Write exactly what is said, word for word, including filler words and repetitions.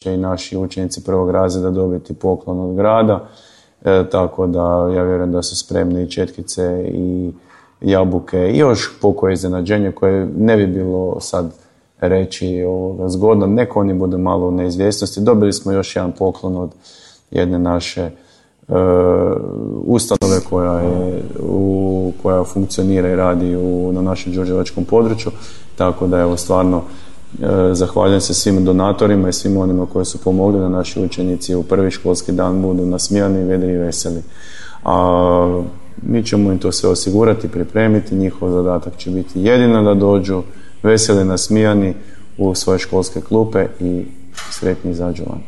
će i naši učenici prvog razreda dobiti poklon od grada, e, tako da ja vjerujem da su spremni i četkice i jabuke i još pokoje iznenađenje koje ne bi bilo sad reći ovoga, zgodno. Neko oni budu malo u neizvjesnosti. Dobili smo još jedan poklon od jedne naše e, ustanove koja, je, u, koja funkcionira i radi u, na našem đurđevačkom području, tako da evo stvarno e, zahvaljujem se svim donatorima i svim onima koji su pomogli da naši učenici u prvi školski dan budu nasmijani, vedri i veseli. A mi ćemo im to sve osigurati, pripremiti, njihov zadatak će biti jedino da dođu veseli, nasmijani u svoje školske klupe i sretni izađu van.